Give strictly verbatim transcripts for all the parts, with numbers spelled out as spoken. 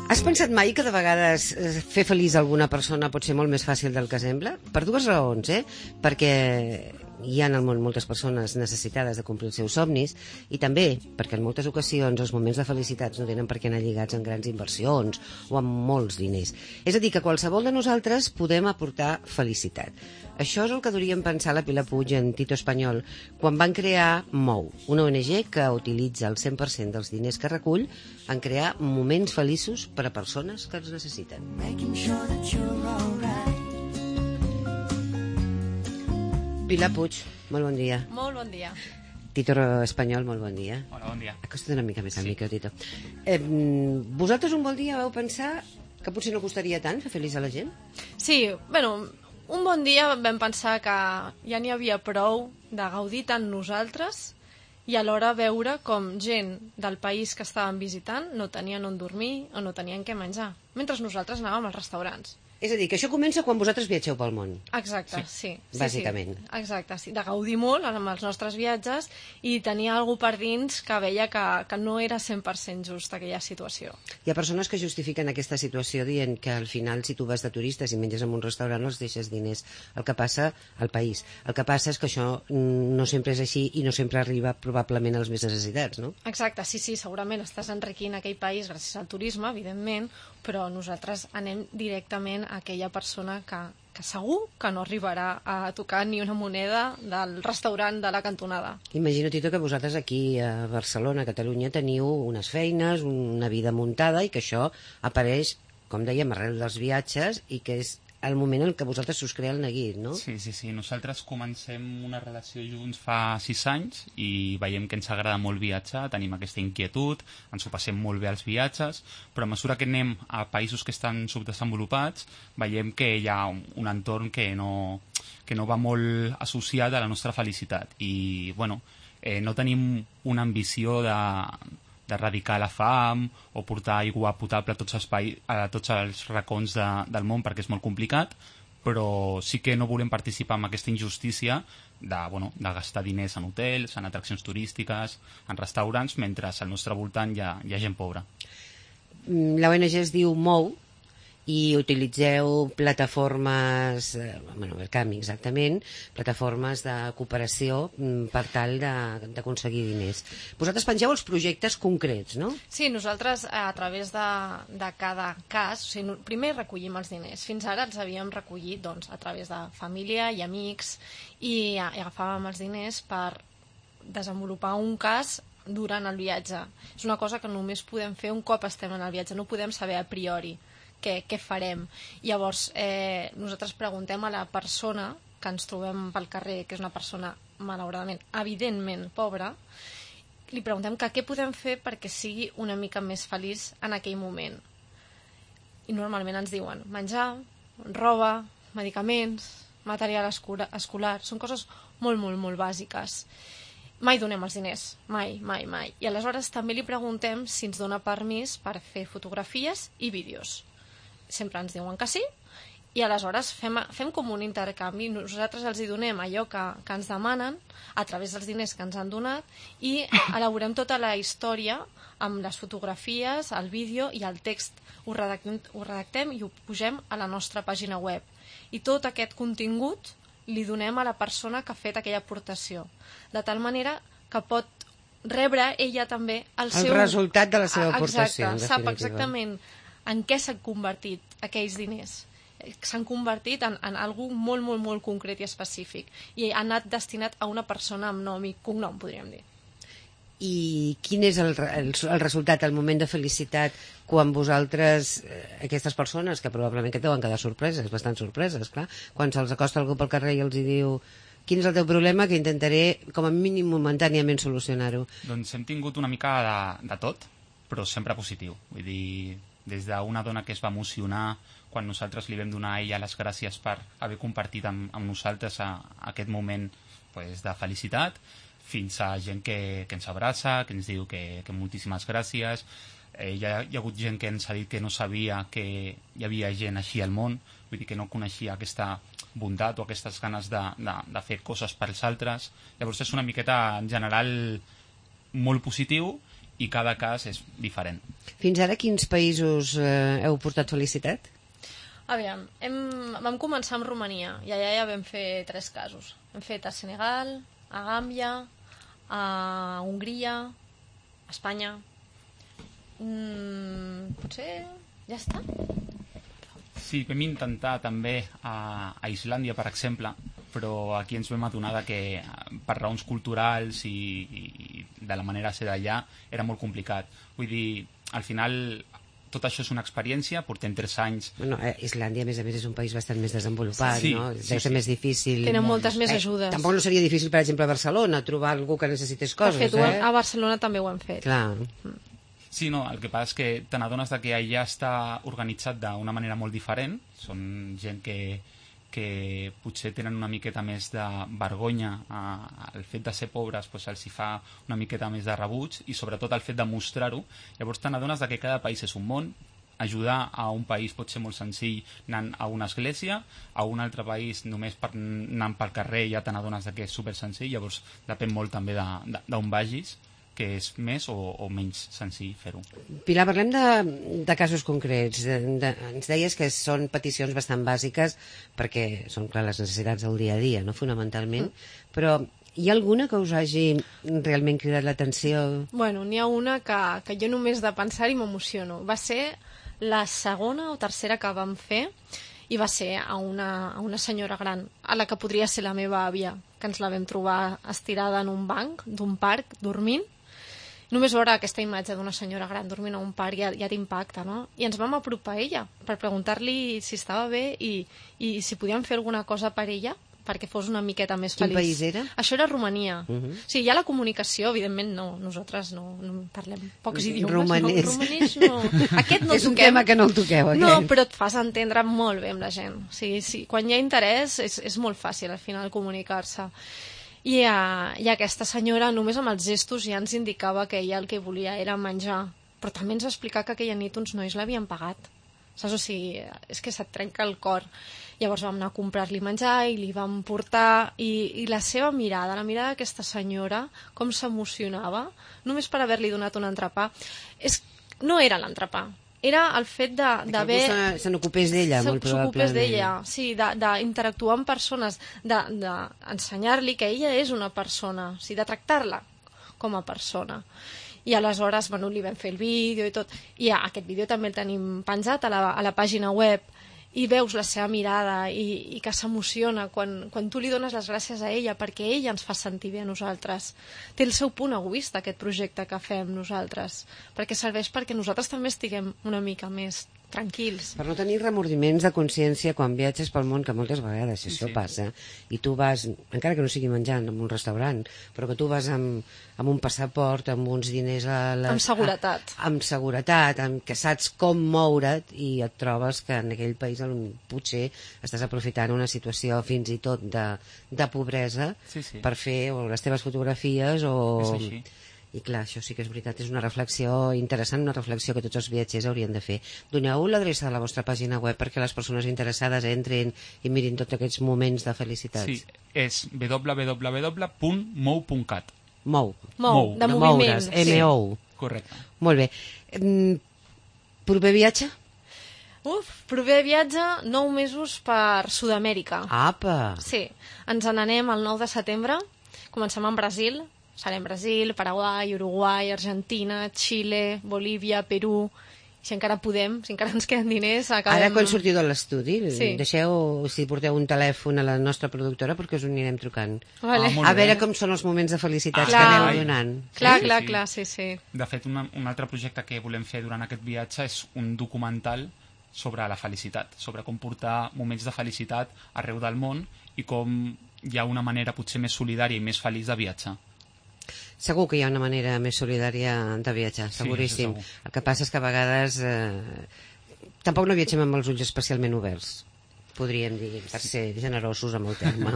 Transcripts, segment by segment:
Has pensat mai que de vegades fer feliç alguna persona pot ser molt més fàcil del que sembla? Per dues raons, eh? Perquè hi ha en el món moltes persones necessitades de complir els seus somnis i també perquè en moltes ocasions els moments de felicitats no tenen per què anar lligats amb grans inversions o amb molts diners. És a dir, que qualsevol de nosaltres podem aportar felicitat. Això és el que hauríem pensar la Pilar Puig en Tito Espanyol quan van crear Mou, una O N G que utilitza el cent per cent dels diners que recull en crear moments feliços per a persones que els necessiten. Pilar Puig, molt bon dia. Molt bon dia. Tito Espanyol, molt bon dia. Hola, bon dia. Acosta't una mica més al Sí. micro, Tito. Eh, vosaltres un bon dia vau pensar que potser no costaria tant fer feliç a la gent? Sí, bueno, un bon dia vam pensar que ja n'hi havia prou de gaudir tant nosaltres i alhora veure com gent del país que estàvem visitant no tenien on dormir o no tenien què menjar, mentre nosaltres anàvem als restaurants. És a dir, que això comença quan vosaltres viatgeu pel món. Exacte, sí. sí, sí Bàsicament. Sí, exacte, sí. De gaudir molt amb els nostres viatges i tenir alguna per dins que veia que, que no era cent per cent just aquella situació. Hi ha persones que justifiquen aquesta situació dient que al final si tu vas de turistes i menges en un restaurant els deixes diners. El que passa al país. El que passa és que això no sempre és així i no sempre arriba probablement als més necessitats, no? Exacte, sí, sí, segurament estàs enriquint aquell país gràcies al turisme, evidentment, però nosaltres anem directament a aquella persona que, que segur que no arribarà a tocar ni una moneda del restaurant de la cantonada. Imagino, Tito, que vosaltres aquí a Barcelona, a Catalunya, teniu unes feines, una vida muntada i que això apareix, com dèiem, arrel dels viatges i que és el moment en què vosaltres us crea el neguit, no? Sí, sí, sí. Nosaltres comencem una relació junts fa sis anys i veiem que ens agrada molt viatjar, tenim aquesta inquietud, ens ho passem molt bé als viatges, però a mesura que anem a països que estan subdesenvolupats veiem que hi ha un, un entorn que no, que no va molt associat a la nostra felicitat i, bueno, eh, no tenim una ambició de d'erradicar la fam o portar aigua potable a tots els, paï- a tots els racons de, del món perquè és molt complicat, però sí que no volem participar en aquesta injustícia de, bueno, de gastar diners en hotels, en atraccions turístiques, en restaurants, mentre al nostre voltant hi ha, hi ha gent pobra. La O N G es diu Mou i utilitzeu plataformes, eh, bueno, Verkami exactament, plataformes de cooperació mm, per tal de- d'aconseguir diners. Vosaltres pengeu els projectes concrets, no? Sí, nosaltres a través de, de cada cas, o sigui, no- primer recollim els diners. Fins ara els havíem recollit doncs, a través de família i amics i, i agafàvem els diners per desenvolupar un cas durant el viatge. És una cosa que només podem fer un cop estem en el viatge, no podem saber a priori què, què farem. Llavors, eh, nosaltres preguntem a la persona que ens trobem pel carrer, que és una persona, malauradament, evidentment pobra, li preguntem que què podem fer perquè sigui una mica més feliç en aquell moment. I normalment ens diuen menjar, roba, medicaments, material escola- escolar, són coses molt, molt, molt bàsiques. Mai donem els diners, mai, mai, mai. I aleshores també li preguntem si ens dona permís per fer fotografies i vídeos. Sempre ens diuen que sí, i aleshores fem, fem com un intercanvi. Nosaltres els hi donem allò que, que ens demanen a través dels diners que ens han donat i elaborem tota la història amb les fotografies, el vídeo i el text. Ho redactem, ho redactem i ho pugem a la nostra pàgina web. I tot aquest contingut li donem a la persona que ha fet aquella aportació, de tal manera que pot rebre ella també el, El seu... resultat de la seva aportació, en Exacte, sap definitiva. exactament en què s'han convertit aquells diners. S'han convertit en, en algú molt, molt, molt concret i específic i ha anat destinat a una persona amb nom i cognom, podríem dir. I quin és el, re- el, el resultat, el moment de felicitat quan vosaltres, eh, aquestes persones que probablement que deuen quedar sorpreses, bastant sorpreses, clar, quan se'ls acosta algú pel carrer i els hi diu quin és el teu problema que intentaré com a mínim momentàniament solucionar-ho. Doncs hem tingut una mica de, de tot, però sempre positiu. Vull dir, des d'una dona que es va emocionar quan nosaltres li vam donar a ella les gràcies per haver compartit amb, amb nosaltres a, a aquest moment pues, de felicitat, fins a gent que, que ens abraça, que ens diu que, que moltíssimes gràcies. Eh, hi, ha, hi ha hagut gent que ens ha dit que no sabia que hi havia gent així al món, vull dir que no coneixia aquesta bondat o aquestes ganes de, de, de fer coses pels altres. Llavors és una miqueta en general molt positiu i cada cas és diferent. Fins ara quins països eh, heu portat felicitat? Aviam, hem, vam començar amb Romania i allà ja vam fer tres casos. Hem fet a Senegal, a Gàmbia, a Hongria, a Espanya. Mm, potser ja està? Sí, vam intentar també a, a Islàndia, per exemple, però aquí ens vam adonar que per raons culturals i, i de la manera de ser d'allà era molt complicat. Vull dir, al final tot això és una experiència, portem tres anys... Bueno, eh, Islàndia, a més a més, és un país bastant més desenvolupat, sí, no? sí, Deu ser sí. més difícil. Tenen moltes més ajudes. Eh, tampoc no seria difícil, per exemple, a Barcelona, trobar algú que necessités coses, de fet, eh? a Barcelona també ho hem fet. Clar. Sí, no, el que passa és que te n'adones que allà està organitzat d'una manera molt diferent. Són gent que, que potser tenen una miqueta més de vergonya. El fet de ser pobres doncs, els hi fa una miqueta més de rebuig i sobretot el fet de mostrar-ho. Llavors te n'adones que cada país és un món. Ajudar a un país pot ser molt senzill anant a una església, a un altre país només per anant pel carrer ja te n'adones que és super senzill, llavors depèn molt també d'on vagis, que és més o, o menys senzill fer-ho. Pilar, parlem de, de casos concrets. De, de, ens deies que són peticions bastant bàsiques perquè són, clar, les necessitats del dia a dia, no? Fonamentalment, mm. però hi ha alguna que us hagi realment cridat l'atenció? Bueno, n'hi ha una que, que jo només de pensar-hi m'emociono. Va ser la segona o tercera que vam fer i va ser a una, a una senyora gran, a la que podria ser la meva àvia, que ens la vam trobar estirada en un banc d'un parc, dormint. Només veure aquesta imatge d'una senyora gran dormint a un parc ja, ja t'impacta, no? I ens vam apropar a ella per preguntar-li si estava bé i, i si podíem fer alguna cosa per ella perquè fos una miqueta més feliç. Quin país era? Això era Romania. Uh -huh. Sí, hi ha la comunicació, evidentment no, nosaltres no, no parlem pocs idiomes. Romanès. No, romanès no. Aquest no és el un toquem. tema que no el toqueu, aquest. No, però et fas entendre molt bé amb la gent. O sigui, sí, quan hi ha interès és, és molt fàcil al final comunicar-se. I, uh, I aquesta senyora només amb els gestos ja ens indicava que ella el que volia era menjar, però també ens va explicar que aquella nit uns nois l'havien pagat. Saps? O sigui, és que se't trenca el cor. Llavors vam anar a comprar-li menjar i li vam portar i, i la seva mirada, la mirada d'aquesta senyora, com s'emocionava, només per haver-li donat un entrepà. És, no era l'entrepà, era el fet d'haver... Que se n'ocupés d'ella, molt probablement. S'ocupés d'ella, sí, d'interactuar amb persones, d'ensenyar-li de, que ella és una persona, o sigui, de tractar-la com a persona. I aleshores, bueno, li vam fer el vídeo i tot. I ja, aquest vídeo també el tenim penjat a la, a la pàgina web i veus la seva mirada i, i que s'emociona quan, quan tu li dones les gràcies a ella perquè ella ens fa sentir bé a nosaltres. Té el seu punt egoista aquest projecte que fem nosaltres, perquè serveix perquè nosaltres també estiguem una mica més tranquils. Per no tenir remordiments de consciència quan viatges pel món, que moltes vegades això sí. passa, i tu vas, encara que no sigui menjant en un restaurant, però que tu vas amb, amb un passaport, amb uns diners a les... Amb seguretat. A, amb seguretat, amb que saps com moure't i et trobes que en aquell país potser estàs aprofitant una situació fins i tot de, de pobresa sí, sí. per fer o les teves fotografies o... És així. I clar, això sí que és veritat, és una reflexió interessant, una reflexió que tots els viatgers haurien de fer. Doneu l'adreça de la vostra pàgina web perquè les persones interessades entrin i mirin tots aquests moments de felicitats. Sí, és w w w punt mou punt cat. Mou. Mou, de, de moviment. Moure's, M O U. Correcte. Molt bé. Proper viatge? Uf, proper viatge, nou mesos per Sud-amèrica. Apa! Sí, ens n'anem el nou de setembre, comencem amb Brasil, serem Brasil, Paraguai, Uruguai, Argentina, Xile, Bolívia, Perú, si encara podem, si encara ens queden diners, acabem... Ara, quan sortiu de l'estudi, sí. deixeu, si porteu un telèfon a la nostra productora, perquè us ho anirem trucant. Vale. Ah, a veure com són els moments de felicitats ah, que clar. aneu donant. Clar, Sí, clar, sí. clar, sí, sí. De fet, una, un altre projecte que volem fer durant aquest viatge és un documental sobre la felicitat, sobre com portar moments de felicitat arreu del món i com hi ha una manera potser més solidària i més feliç de viatjar. Segur que hi ha una manera més solidària de viatjar, seguríssim. Sí, el que passa és que a vegades eh, tampoc no viatgem amb els ulls especialment oberts. podríem dir, per ser generosos amb el terme.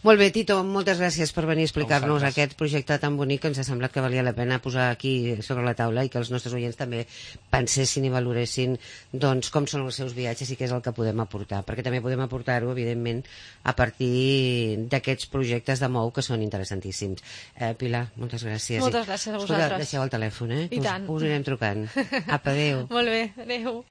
Molt bé, Tito, moltes gràcies per venir a explicar-nos aquest projecte tan bonic que ens ha semblat que valia la pena posar aquí sobre la taula i que els nostres oients també pensessin i valoressin doncs, com són els seus viatges i què és el que podem aportar, perquè també podem aportar-ho, evidentment, a partir d'aquests projectes de Mou que són interessantíssims. Eh, Pilar, moltes gràcies. Moltes gràcies a vosaltres. Escolta, deixeu el telèfon, eh? I tant. Us, us anirem trucant. Apa, adéu. Molt bé, adéu.